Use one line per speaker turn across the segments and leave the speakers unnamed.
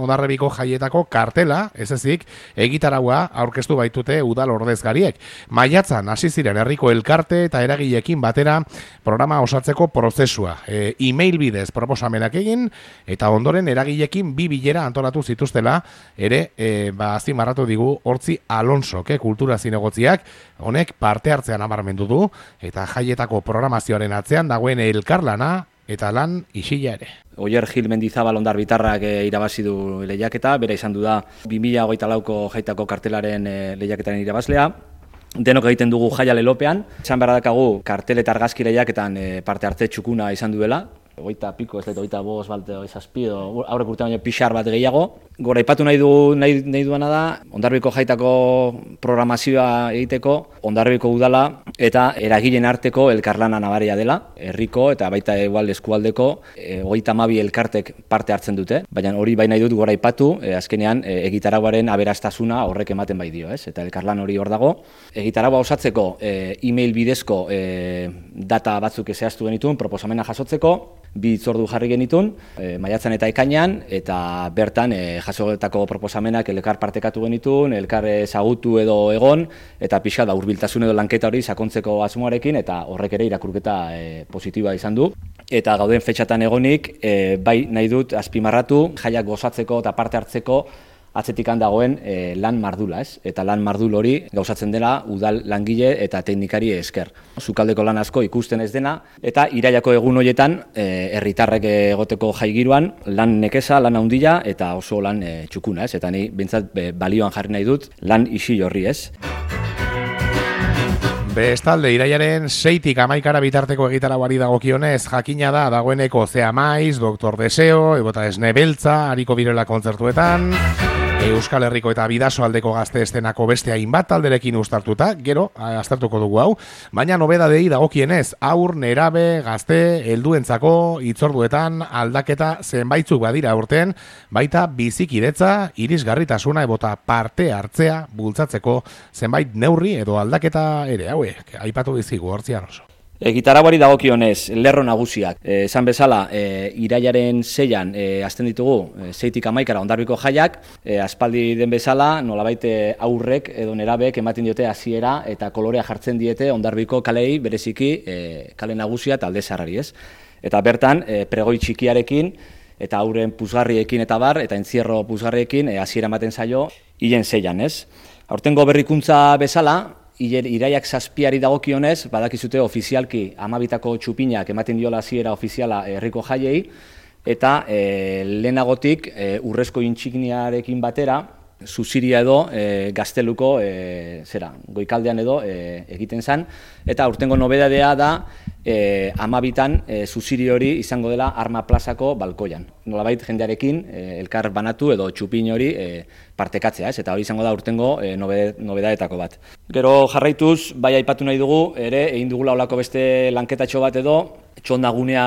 Hondarribiko jaietako kartela, ez ezik, egitaraua aurkeztu baitute udal ordezkariek. Maiatzan hasi ziren herriko elkarte eta eragileekin batera programa osatzeko prozesua. E-mail bidez proposamenak egin eta ondoren eragileekin 2 bilera antolatu zituztela ere azpimarratu digu Hortzi Alonso, kultura zinegotziak, honek parte hartzean nabarmendu du eta jaietako programazioaren atzean dagoen elkarlana eta lan isila ere.
Oier Gil Mendizabal Hondarbitarrak irabazi du lehiaketa, bera izan du da 2024ko jaitako kartelaren lehiaketaren irabazlea. Denok egiten dugu jaia lelopean, esan behar dakagu kartel eta argazki lehiaketan parte hartze txukuna izan duela. 20 piko, ez dut, 25 balte, 27, aurrek urtean baino pixar bat gehiago. Gora, aipatu nahi duana da, Hondarribiko jaitako programazioa egiteko, Hondarribiko udala eta eragileen arteko elkarlana nabaria dela, herriko eta baita igual eskualdeko 32 elkartek parte hartzen dute, baina hori bai nahi dut gora aipatu, azkenean egitaraguaren aberastasuna horrek ematen bai dio, ez? Eta elkarlan hori hor dago. Egitaragua osatzeko e-mail bidezko data batzuk zehaztu genituen, proposamena jasotzeko, 2 hitzordu jarri genitun, maiatzan eta ekainean, eta bertan jasotako proposamenak elkar partekatu genitun, elkar ezagutu edo egon, eta pixka da hurbiltasun edo lanketa hori sakontzeko asmoarekin, eta horrek ere irakurketa positiboa izan du. Eta gauden fetxatan egonik, bai nahi dut azpimarratu, jaiak gozatzeko eta parte hartzeko atzetikan dagoen lan mardula, ez? Eta lan mardul hori gauzatzen dela udal langile eta teknikari esker. Sukaldeko lan asko ikusten ez dena, eta irailako egun horietan herritarrek egoteko jaigiruan lan nekeza, lan handia eta oso lan txukuna, ez? Eta ni behintzat balioan jarri nahi dut lan isil horri, ez?
Bestalde, irailaren 6tik 11 bitarteko egitaraguari dagokionez, jakina da dagoeneko Zea Maiz, Doktor Deseo, Ebota Esne Beltza, Ariko Birela kontzertuetan, Euskal Herriko eta Bidasoaldeko gazte estenako beste hainbat talderekin uztartuta, gero, aztertuko dugu hau, baina nobedadei dagokienez, aur, nerabe, gazte, helduentzako, hitzorduetan, aldaketa zenbaitzuk badira urten, baita bizikidetza, irisgarritasuna ebota parte hartzea bultzatzeko zenbait neurri edo aldaketa ere, hauek, aipatu dizigu, Hortzi Alonso.
Egitaraguari dagokionez, lerro nagusiak. Esan bezala, irailaren 6an hasten ditugu, 6tik 11 Hondarribiko jaiak, aspaldi den bezala, nolabait aurrek edo nerabek ematen diote hasiera eta kolorea jartzen diete Hondarribiko kalei bereziki kale nagusia eta alde zaharrari, ez? Eta bertan, pregoi txikiarekin eta auren puzgarriekin eta bar, eta entzierro puzgarriekin hasiera ematen zaio hilen 6an, ez? Aurtengo berrikuntza bezala, iraiak 7ari dagokionez, badakizute ofizialki 12tako txupinak ematen diola hasiera ofiziala herriko jaiei, eta lehenagotik urrezko intsigniarekin batera, zuziria edo gazteluko goikaldean edo egiten zen, eta aurtengo nobedadea da 12tan zuziri hori izango dela Arma Plazako balkoian. Nolabait jendearekin elkar banatu edo txupin hori partekatzea, ez? Eta hori izango da urtengo nobedaetako bat. Gero jarraituz, bai aipatu nahi dugu, ere egin dugula olako beste lanketatxo bat edo, txondagunea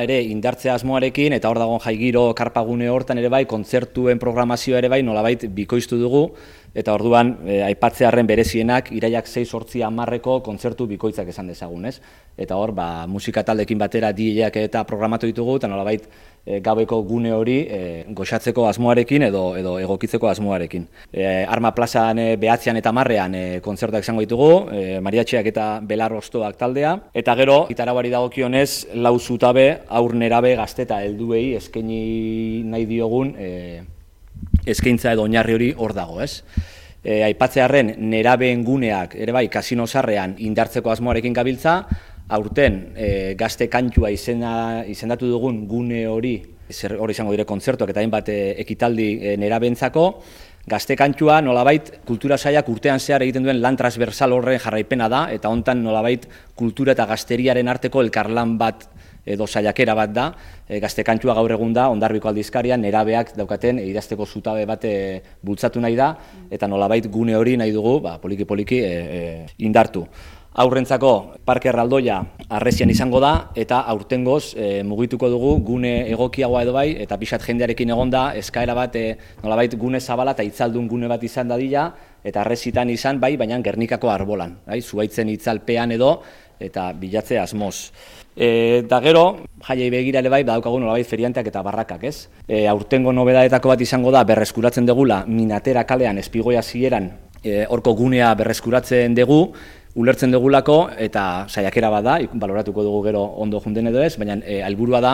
ere indartzea asmoarekin, eta hor dagoen jaigiro karpagune hortan ere bai, kontzertuen programazioa ere bai, nolabait bikoiztu dugu, eta orduan aipatzearren berezienak iraiak 6-8-10 kontzertu bikoitzak esan dezagun, ez? Eta hor, musika taldekin batera DJak eta programatu ditugu, eta nolabait gaueko gune hori goxatzeko asmoarekin edo egokitzeko asmoarekin. Arma Plazan 9 eta 10 kontzertuak izango ditugu, mariatxiak eta belar ostoak taldea, eta gero, gitaraguari dagokionez, 4 zutabe, aur nerabe, gazte eta helduei eskaini nahi diogun eskaintza edo oinarri hori hor dago, ez? Aipatzearren nerabeen guneak ere bai kasino sarrean indartzeko asmoarekin gabiltza, aurten gazte kantua izendatu dugun gune hori izango dire kontzertuak eta hainbat ekitaldi nerabeentzako, gazte kantua nolabait kultura sailak urtean zehar egiten duen lan transversal horren jarraipena da, eta hontan nolabait kultura eta gazteriaren arteko elkarlan bat edo saiakera bat da, gazte kantua gaur egun da, Hondarribiko aldizkarian nerabeak daukaten idazteko zutabe bat bultzatu nahi da, eta nolabait gune hori nahi dugu poliki-poliki indartu. Aurrentzako Parke Erraldoia Arresian izango da, eta aurtengoz mugituko dugu gune egokiagoa edo bai, eta pixat jendearekin egon da, eskaera bat nolabait gune zabala eta itzaldun gune bat izan dadila, eta Arresitan izan, bai, baina Gernikako arbolan, bai, Zuhaitzen itzalpean edo, eta bilatze asmoz. Da gero, jaiei begira ere bai, badaukagu nolabait ferianteak eta barrakak, ez? Aurtengo nobedaetako bat izango da, berreskuratzen degula Minatera kalean, Espigoia zieran, horko gunea berreskuratzen dugu, ulertzen dugulako, eta saiakera bat da, baloratuko dugu gero ondo junden edo ez, baina helburua da,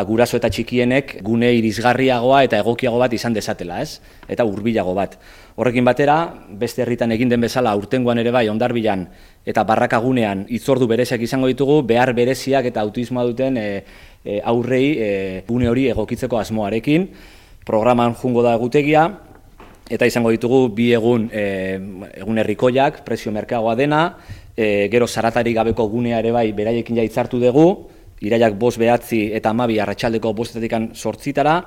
guraso eta txikienek gune irisgarriagoa eta egokiago bat izan dezatela, ez? Eta hurbilago bat. Horrekin batera, beste herritan egin den bezala, aurtengoan ere bai, Hondarbilan eta Barrakagunean hitzordu bereziak izango ditugu, behar bereziak eta autismoa duten aurrei gune hori egokitzeko asmoarekin. Programan jungo da egutegia, eta izango ditugu bi egun herrikoiak, prezio merkeagoa dena, gero zaratari gabeko gunea ere bai beraiekin hitzartu dugu, iraiak 5, 9 eta 12 arratsaldeko 5 8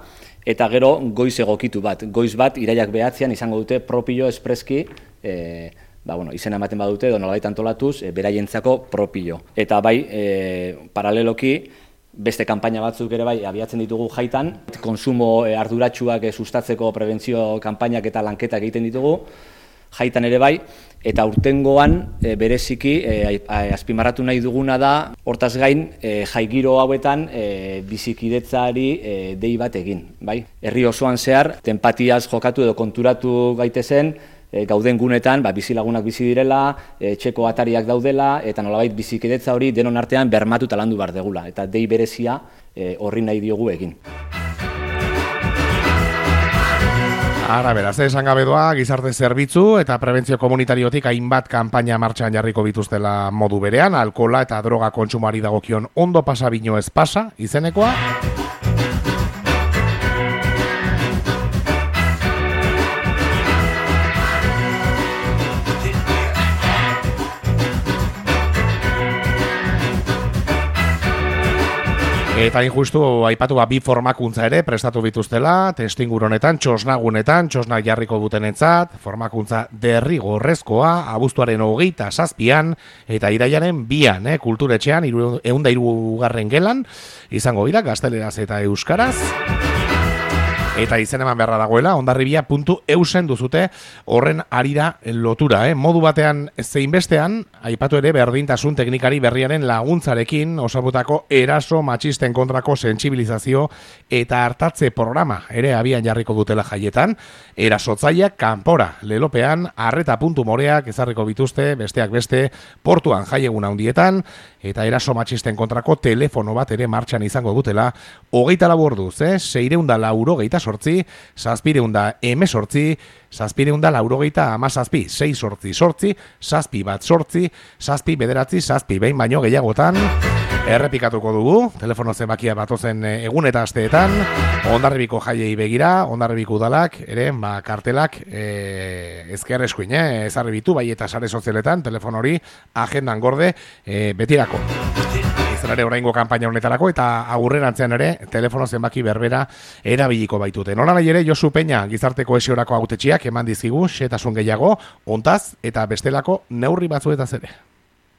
eta gero goiz egokitu bat. Goiz bat iraiak 9 izango dute propio espreski, izena ematen badute edo nolabait antolatuz, beraientzako propio. Eta bai, paraleloki, beste kanpaina batzuk ere bai abiatzen ditugu jaitan, konsumo arduratsuak sustatzeko prebentzio kanpainak eta lanketak egiten ditugu, jaitan ere bai, eta aurtengoan bereziki azpimarratu nahi duguna da, hortaz gain jaigiro hauetan bizikidetzari dei bat egin, bai? Herri osoan zehar, tenpatiaz jokatu edo konturatu gaitezen, gauden gunetan bizilagunak bizi direla, etxeko atariak daudela, eta nolabait bizikidetza hori denon artean bermatu eta landu behar degula, eta dei berezia horri nahi diogu egin.
Ara, beraz, esan gabe doa, gizarte zerbitzu eta prebentzio komunitariotik hainbat kanpaina martxan jarriko bituztela modu berean, alkohola eta droga kontsumoari dagokion ondo pasa bino ez pasa, izenekoa. Eta injustu aipatu bi formakuntza ere prestatu bituztela, testuinguru honetan, txosnagunetan, txosnak jarriko dutenentzat, formakuntza derrigorrezkoa, abuztuaren 27an eta iraiaren 2an, kulturetxean 103. gelan, izango dira gazteleraz eta euskaraz. Eta izen eman beharra dagoela, hondarribia.eusen duzute horren arira lotura. Modu batean zein bestean, aipatu ere berdintasun teknikari berriaren laguntzarekin osatutako eraso matxisten kontrako sentsibilizazio eta hartatze programa ere abian jarriko dutela jaietan. Erasotzaileak kanpora lelopean arreta.moreak ezarriko bituzte, besteak beste portuan jaiegun handietan, eta eraso matxisten kontrako telefono bat ere martxan izango dutela 24 orduz, 648, 718, 718, 688, 7 7 behin baino gehiagotan errepikatuko dugu, telefono zenbakia batozen egun eta asteetan, Hondarribiko jaiei begira, Hondarribiko udalak, ere, kartelak ezker eskuin, ezarribitu, bai eta sare sozialetan, telefono hori agendan gorde betirako. Izan ere oraingo kanpaina honetarako eta agurrerantzean ere telefono zenbaki berbera erabiliko baitute. Nola nahi ere Josu Peña gizarte kohesiorako hautetsiak eman dizkigu xehetasun gehiago, hontaz eta bestelako neurri batzuetaz ere.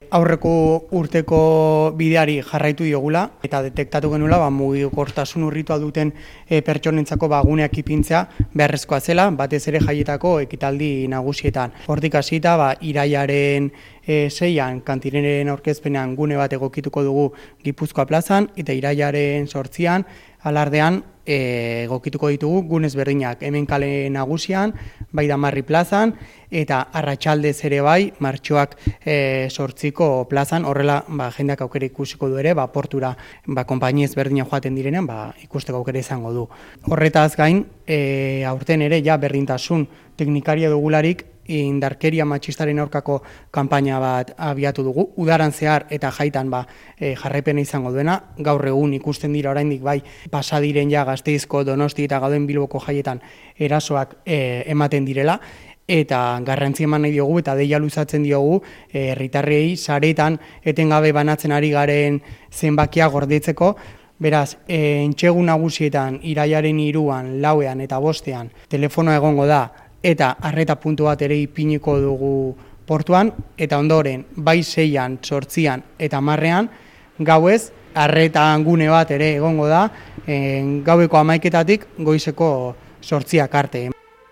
Aurreko urteko bideari jarraitu diogula eta detektatu genuela mugikortasun urritua duten pertsonentzako guneak ipintzea beharrezkoa zela, batez ere jaietako ekitaldi nagusietan. Hortik hasita iraiaren 6an kantineren aurkezpenean gune bat egokituko dugu Gipuzkoa plazan eta iraiaren 8an alardean egokituko ditugu gunez berdinak, hemen kale nagusian, bai Damarri plazan, eta arratsaldez ere bai, martxoak 8ko plazan, horrela jendeak aukera ikusiko du ere, portura konpainiez berdina joaten direnean, ikusteko aukera izango du. Horretaz gain, aurten ere berdintasun teknikaria dugularik, indarkeria matxistaren aurkako kanpaina bat abiatu dugu, udaran zehar eta jaitan jarraipena izango duena, gaur egun ikusten dira oraindik pasadiren Gasteizko, Donosti eta gauden Bilboko jaietan erasoak ematen direla, eta garrantzi eman nahi diogu eta deia luzatzen diogu herritarrei saretan etengabe banatzen ari garen zenbakia gordetzeko. Beraz, entxegu nagusietan iraiaren 3an, 4an eta 5ean telefonoa egongo da eta arreta puntu bat ere ipiniko dugu portuan, eta ondoren, bai 6an, 8an eta 10ean, gauez, arretan gune bat ere egongo da, gaueko 11etatik goizeko 8ak arte.